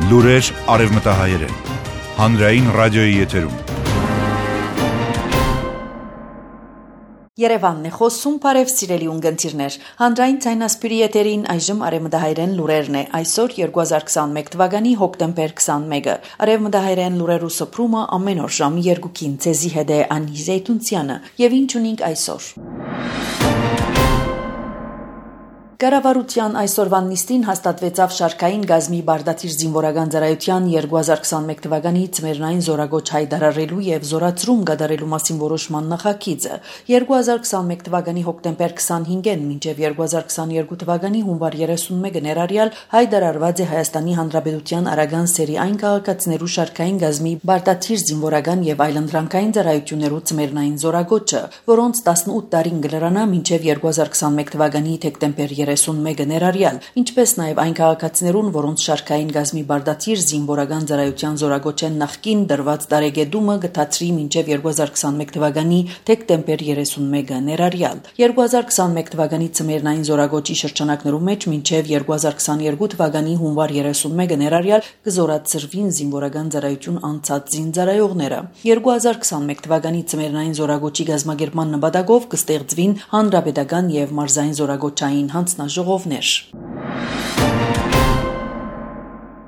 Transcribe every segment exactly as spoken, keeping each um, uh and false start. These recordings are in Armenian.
Լուրեր արևմտահայերեն, հանրային ռադիոյի եթերում։ Երևանն է խոսում, բարև սիրելի ունգընտիրներ, հանրային ցայնասպիրի եթերին այժմ արևմտահայերեն լուրերն է, այսօր երկու հազար քսանմեկ թվականի հոկտեմբեր քսանմեկը, արևմտահայերեն լուրերու սփռումը ամեն օր ժամի երկուքին ցեզի հետ է Անի Զեյթունցյանը, եւ ինչ ունենք այսօր։ Կառավարության այսօրվան նիստին հաստատվեցավ շարքային գազմի բարդաթիր զինվորական ծառայության երկու հազար քսանմեկ թվականի ծմերնային զորագոչ հայտարարելու եւ զորացում կատարելու մասին որոշման նախագիծը։ երկու հազար քսանմեկ թվականի հոկտեմբեր քսանհինգին մինչեւ երկու հազար քսաներկու թվականի հունվար երեսունմեկը ներառյալ հայտարարված է Հայաստանի Հանրապետության Արագան սերի այն քաղաքացիներու շարքային գազմի բարդաթիր զինվորական եւ այլընտրանքային ծառայություններու ծմերնային զորագոչը, որոնց տասնութ տարին գլրանա մինչեւ երկու հազար քսանմեկ թվականի դեկտեմբեր երեսունմեկը ներառյալ, ինչպես նաև այն քաղաքացիներուն, որոնց շարքային գազմի բարդաթիր զինվորական ծառայության զորագոչեն նախկին դրված տարեգետումը գտածրի մինչև երկու հազար քսանմեկ թվականի դեկտեմբեր երեսունմեկը ներառյալ։ երկու հազար քսանմեկ թվականի ծմերնային զորագոչի շրջանակներու մեջ մինչև երկու հազար քսաներկու թվականի հունվար երեսունմեկը ներառյալ կզորացրվին զինվորական ծառայություն անցած զինծառայողները։ երկու հազար քսանմեկ թվականի ծմերնային զորագոչի գազմագերման նպատակով կստեղծվին հանրապետական եւ մարզային զորագոչային հանձնաժողովներ։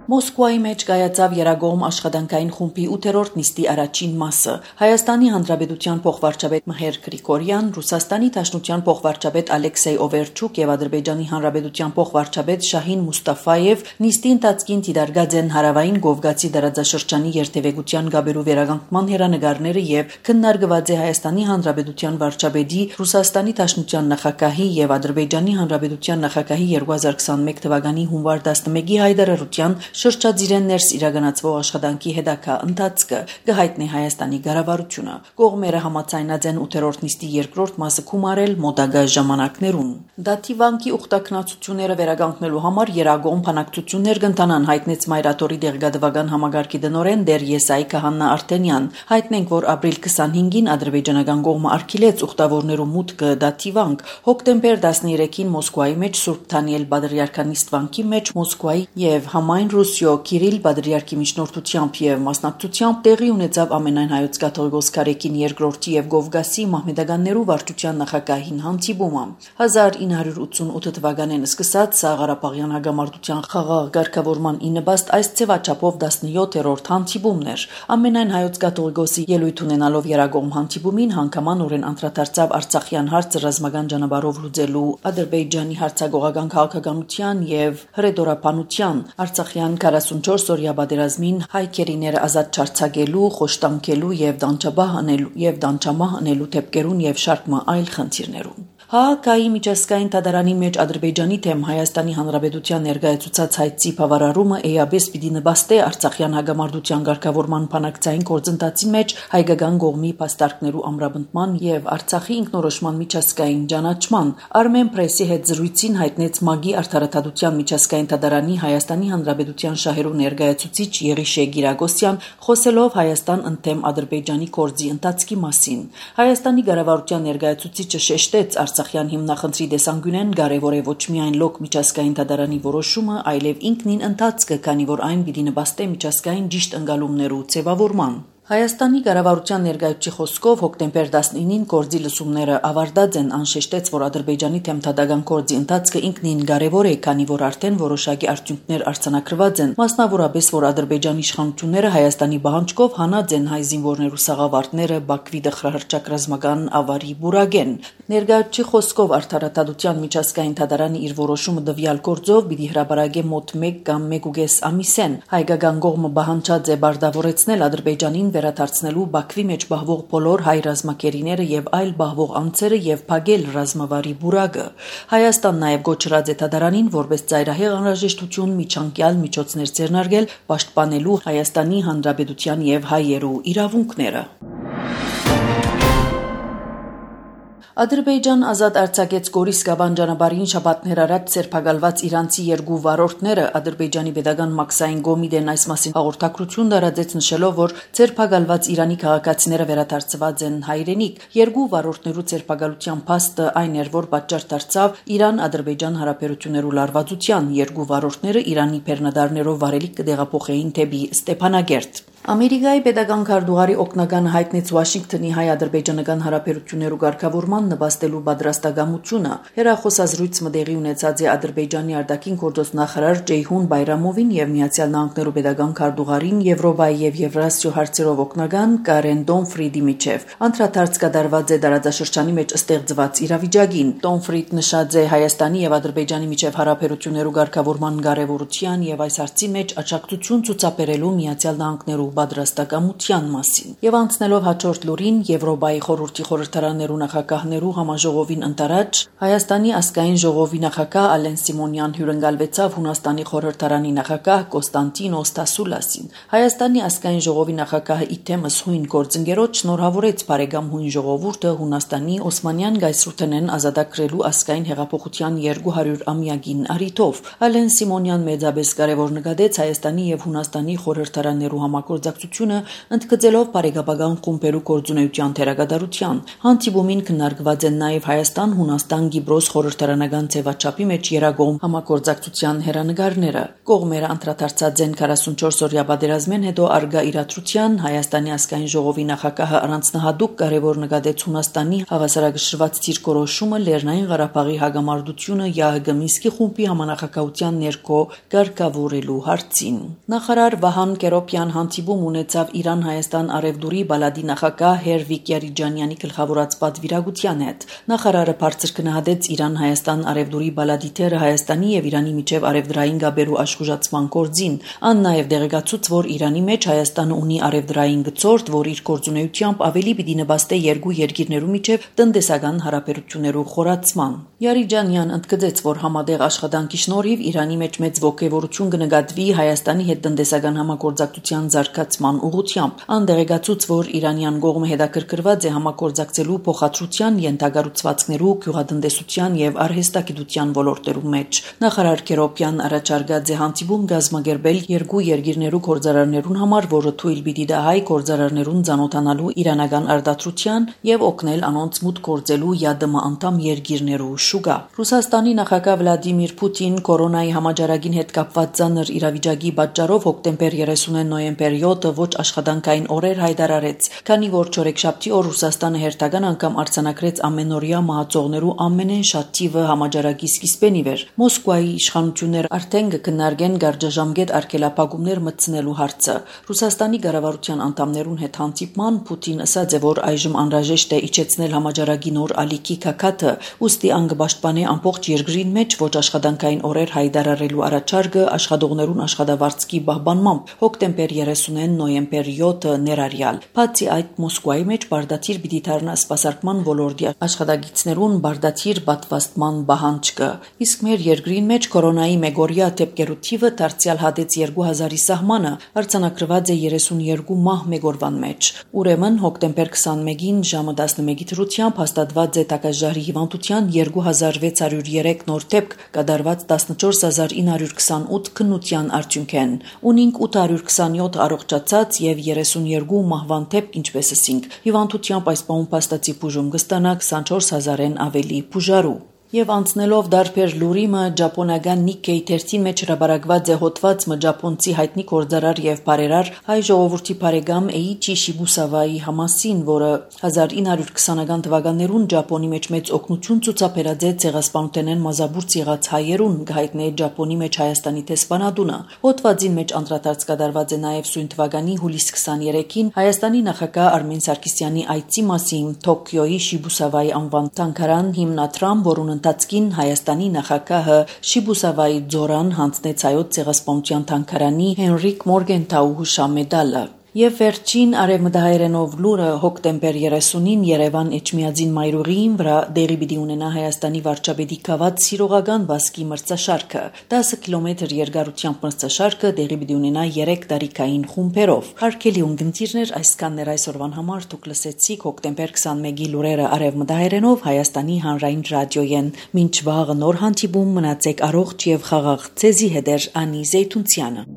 Մոսկվայի մեջ կայացավ Երագողմ աշխատանքային խումբի ութերորդ նիստի առաջին մասը։ Հայաստանի Հանրապետության փոխվարչապետ Մհեր Գրիգորյան, Ռուսաստանի Դաշնության փոխվարչապետ Ալեքսեյ Օվերչուկ եւ Ադրբեջանի Հանրապետության փոխվարչապետ Շահին Մուստաֆաև նիստի ընթացքին դիտարկած են հարավային Կովկասի դարաձաշրջանի երթևեկության գաբերու վերականգնման հերանեկարները եւ քննարկված է Հայաստանի Հանրապետության վարչապետի, Ռուսաստանի Դաշնության նախագահի եւ Ադրբեջանի Հանրապետության նախագահի երկու հազար քսանմեկ թվականի հունվար տասնմեկի հայտարարության շրջադիրեն ներս իրականացվող աշխատանքի հետագա ընթացքը կհայտնի Հայաստանի կառավարությունը։ Կողմերը համաձայնած են ութերորդ նիստի երկրորդ մասը գումարել մոտակա ժամանակներուն։ Դաթիվանկի ուխտակնացությունները վերականգնելու համար Երագողմ բանակցություններ կընթանան, հայտնեց Մայրաթորի դեղգադվական համագարկի դնորեն Դեր Եսայի Քահանա Արտենյան։ Հայտնենք, որ ապրիլ քսանհինգին ադրբեջանական կողմը արգելեց ուխտավորներու մուտքը Դաթիվանք, հոկտեմբեր տասներեքին Մոսկվայի մեջ Սուրբ Դանիել Պատրիարքանիստ վանքի մեջ Մոսկվայի եւ համայն Ռուսիո Կիրիլ Պատրիարքի միջնորդությամբ եւ մասնակցությամբ տեղի ունեցավ ամենայն հայոց կաթողիկոս Կարեկին երկրորդի եւ Կովկասի մահմեդականներու վարչության նախագահին հանդիպումը։ հազար ինը հարյուր ութսունութ թվականին սկսած Սաղարապաղյան հագամարտության խաղաղ ղեկավարման իննպաստ այս ձևաչափով տասնյոթերորդ հանդիպումն էր։ Ամենայն հայոց կաթողիկոսի ելույթ ունենալով Երագողմ հանդիպումին հանգամանորեն անդրադարձավ Արցախյան հարցը ռազմական ճանապարհով լուծելու Ադրբեջանի հարցագողական քաղաքականության եւ հրետորաբանության Արցախյան քառասունչորս օրյա պատերազմին հայքերիները ազատ չարձակելու, խոշտանգելու եւ դանչաբահ անելու եւ դանչամահ անելու դեպքերուն եւ շարք այլ խնդիրներուն։ Հաագայի միջազգային դատարանի մեջ Ադրբեջանի թեմ Հայաստանի Հանրապետության ներկայացուցած հայցի բավարարումը էյաբես պիտի նպաստի Արցախյան հագամարտության ղեկավարման բանակցային գործընթացի մեջ հայկական կողմի փաստարկներու ամրապնդման եւ Արցախի ինքնորոշման միջազգային ճանաչման։ Armen Press-ի հետ զրույցին հայտնեց ՄԱԳ-ի արդարադատության միջազգային դատարանի Հայաստանի Հանրապետության շահերու ներկայացուցիչ Եղիշե Գիրագոսյան, խոսելով Հայաստան ընդդեմ Ադրբեջանի գործի ընթացքի մասին։ Հայաստանի կառավարության ներկայացուցիչը շեշտեց Արցախյան հիմնախնդրի տեսանկյունեն կարևոր է ոչ միայն լոկ միջազգային դատարանի որոշումը, այլև ինքնին ընթացքը, քանի որ այն պիտի նպաստի միջազգային ճիշտ ընկալումներու ձևավորման։ Հայաստանի կառավարության ներկայացուցիչի խոսքով հոկտեմբեր տասնինին գործի լսումները ավարտած են, անշեշտեց, որ Ադրբեջանի թեմ դատական գործի ընթացքը ինքնին կարևոր է, քանի որ արդեն որոշակի արդյունքներ արձանագրված են, մասնավորապես որ Ադրբեջանի իշխանությունները Հայաստանի պահանջկով հանած են հայ զինվորներու սաղավարտները Բաքվի դխրահրճակ ռազմական ավարի բուրագեն։ Ներկայացուցիչի խոսքով արդարադատության միջազգային դատարանը իր որոշումը դվյալ գործով պիտի հրապարակի մոտ մեկ կամ մեկուկես ամիսեն։ Հայկական կողմը պահանջած է բարտավորեցնել Ադրբեջանին վերադարձնելու Բաքվի մեջ բահվող բոլոր հայ ռազմակերիները եւ այլ բահվող անձերը եւ փակել ռազմավարի բուրագը։ Հայաստան նաեւ գոչրած է դատարանին որպես ծայրահեղ անհրաժեշտություն միջանկյալ միջոցներ ձեռնարկել պաշտպանելու Հայաստանի Հանրապետության եւ հայերու իրավունքները։ Ադրբեջան ազատ արձակեց Գորիս Գավանջանաբարին շաբաթներ առաջ սերբակալված իրանցի երկու վարորդները։ Ադրբեջանի Պետական մաքսային Գոմիդեն այս մասին հաղորդակցություն տարածեց, նշելով, որ սերբակալված Իրանի քաղաքացիները վերադարձված են հայրենիք։ Երկու վարորդներու սերբակալության փաստը այն էր, որ պատճառ դարձավ Իրան-Ադրբեջան հարաբերություններու լարվածության։ Երկու վարորդները Իրանի բեռնադարներով վարելիք կդեղափոխեին թեպի Ստեփանագերտ։ Ամերիկայի պետական քարտուղարի օգնական հայտնեց Վաշինգտոնի հայ-ադրբեջանական հարաբերություններու ղեկավարման նպաստելու պատրաստակամությունը։ Հերախոսազրույց մտեղի ունեցած է Ադրբեջանի արտաքին գործոստ նախարար Ջեյհուն Բայրամովին եւ Միացյալ Նահանգներու պետական քարտուղարին Եվրոպայի եւ Եվրասիա հարցերով օգնական Կարեն Դոնֆրիդի միջև։ Անդրադարձ կատարված է տարածաշրջանի մեջ ստեղծված իրավիճակին։ Դոնֆրիդ նշած է Հայաստանի եւ Ադրբեջանի միջև հարաբերություններու ղեկավարման կարեւորության եւ այս հարցի մեջ աջակցություն ցուցաբերելու Միացյալ Նահանգներու պատրաստակամության մասին եւ անցնելով հաջորդ լուրին Եվրոպայի խորհրդի խորհրդարաններու նախագահներու համաժողովին ընտրած Հայաստանի ազգային ժողովի նախագահ Ալեն Սիմոնյան հյուրընկալվեցավ Հունաստանի խորհրդարանի նախագահ Կոստանտինոս Տասուլասին։ Հայաստանի ազգային ժողովի նախագահը իթեմս հույն գործընկերոջ շնորհավորեց բարեկամ հույն ժողովուրդը Հունաստանի Օսմանյան գայսրութենեն ազատագրելու ազգային հեղափոխության երկու հարյուր ամյակին առիթով։ Ալեն Սիմոնյան մեծապես կարևոր նկատեց Հայաստանի եւ Հունաստանի խորհրդարաններու համագործակցությունը ընդգծելով բարեկապական խումբերու գործունեության թերակատարության։ Հանդիպումին քննարկված են նաև Հայաստան-Հունաստան-Կիպրոս խորհրդարանական ձևաչափի մեջ երագոմ համագործակցության հերանեկարները։ Կողմերը անդրադարձած են քառասունչորս-օրյա պատերազմեն հետո արգա իրադրության Հայաստանի ազգային ժողովի նախագահը առանձնահատուկ կարևոր նկատեց Հունաստանի հավասարակշռված դիրքորոշումը Լեռնային Ղարաբաղի հագամարտությունը ԵԱՀԿ Մինսկի խումբի համանախագահության ներքո կարգավորելու հարցին։ Նախարար Վահան Կերոպյան հանդիպում ունեցավ Իրան-Հայաստան արևդուրի բալադի նախագահ Հերվիկ Յարիջանյանի գլխավորած պատվիրակության հետ։ Նախարարը բարձր գնահատեց Իրան-Հայաստան արևդուրի բալադի թերը Հայաստանի եւ Իրանի միջև արևդրային գաբերու աշխուժացման գործին։ Ան նաև դեղեկացուց, որ Իրանի մեջ Հայաստանը ունի արևդրային գծորդ, որ իր գործունեությամբ ավելի պիտի նպաստի երկու երկիրներու միջև տնտեսական հարաբերություններու խորացման։ Յարիջանյան ընդգծեց, որ համատեղ աշխատանքի շնորհիվ Իրանի մեջ մեծ ողջավորություն կնկատվի Հայաստանի հետ տնտեսական համագործակցության զարգացման ուղղությամբ։ Անդերեկացուց, որ Իրանյան կողմը հետաքրքրված է համագործակցելու փոխադրության, յենթագառուցվածքներու, գյուղատնտեսության եւ արհեստագիտության ոլորտերու մեջ։ Նախարար Կերոպյան առաջարկած է հանդիպում գազմագերբել երկու երկիրներու գործարարներուն համար, որը թույլ պիտի տա հայ գործարարներուն ծանոթանալու իրանական արտադրության եւ օգնել անոնց մուտք գործելու ԵԱԴՄ անդամ երկիրներու շուկա։ Ռուսաստանի նախագահ Վլադիմիր Պուտին կորոնայի համաճարակին հետ կապված ծանր իրավիճակի պատճառով հոկտեմբեր երեսունին նոյեմբեր յոթը ոչ աշխատանքային օրեր հայտարարեց, քանի որ չորեքշաբթի օր Ռուսաստանը հերթական անգամ արձանագրեց ամենօրյա մահացողներու ամենեն շատ թիվը համաճարակի սկիզբեն ի վեր։ Մոսկվայի իշխանություններ արդեն կքննարկեն գարճաժամկետ արգելափակումներ մտցնելու հարցը։ Ռուսաստանի կառավարության անդամներուն հետ հանդիպման Պուտին ասաց է, որ այժմ անհրաժեշտ է իջեցնել համաճարակի նոր ալիքի քակաթը, ուստի ան կպաշտպանի ամբողջ երկրին մեջ ոչ աշխատանքային օրեր հայտարարելու առաջարկը աշխատողներուն աշխատավարձքի պահպանմամբ հոկտեմբեր երեսունին նոյեմբեր յոթը ներառյալ։ Բացի այդ, Մոսկվայի մեջ բարդաթիր պիտի դառնա սպասարկման ոլորտի աշխատակիցներուն բարդաթիր պատվաստման պահանջը։ Իսկ մեր երկրին մեջ կորոնայի մեգորյա դեպքերու թիվը դարձյալ հատեց երկու հազարի սահմանը, արձանագրված է երեսունյերկու մահ մեգորվան մեջ։ Ուրեմն հոկտեմբեր քսանմեկին ժամը տասնմեկի դրությամբ հաստատված է տակաժարի հիվանդության երկու հազար վեց հարյուր երեք նոր դեպք, կատարված տասնչորս հազար ինը հարյուր քսանութ քննության արդյունքեն։ Ունինք ութ հարյուր քսանյոթ առողջացած եւ երեսունյերկու մահվան դեպք, ինչպես ասինք։ Հիվանդությամբ այս պահուն փաստացի բուժում կստանա քսանչորս հազարեն ավելի բուժարու։ Եվ անցնելով դարբեր լուրիմը Ճապոնական Նիկեյ թերթի մեջ հրապարակված է հոդված մը ճապոնցի հայտնի գործարար եւ բարերար հայ ժողովրդի բարեկամ Էիչի Շիբուսավայի համասին, որը հազար ինը հարյուր քսանական թվականներուն Ճապոնի մեջ մեծ օգնություն ցուցաբերած է ցեղասպանութենեն մազաբուրց եղած հայերուն, հայտնի Ճապոնի մեջ Հայաստանի տեսփանատունը։ Հոդվածին մեջ անդրադարձ կատարված է նաեւ սույն թվականի հուլիս քսաներեքին Հայաստանի նախագահ Արմեն Սարգսյանի այցի մասին Տոկիոյի Շիբուսավայի անվան թանգարան հիմնադրամ, որուն ընթացքին Հայաստանի նախագահը Շիբուսավայի ձորան հանձնեց հայոց ցեղասպանության թանգարանի Հենրիկ Մորգենթաու հուշամեդալը։ Եվ վերջին արևմտահայերենով լուրը հոկտեմբեր երեսունին Երևան Էջմիածին մայրուղիին վրա դեղի պիտի ունենա Հայաստանի վարչապետի գաված սիրողական վազքի մրցաշարքը։ տասը կիլոմետր երկարությամբ մրցաշարքը դեղի պիտի ունենա երեք տարիքային խումբերով։ Հարգելի ունգընտիրներ, այսքանն էր այսօրվան համար դուք լսեցիք հոկտեմբեր քսանմեկի լուրերը արևմտահայերենով Հայաստանի հանրային ռադիոյեն։ Մինչ վաղը նոր հանդիպում մնացեք առողջ եւ խաղաղ։ Ձեզի հետ էր Անի Զեյթունցյանը։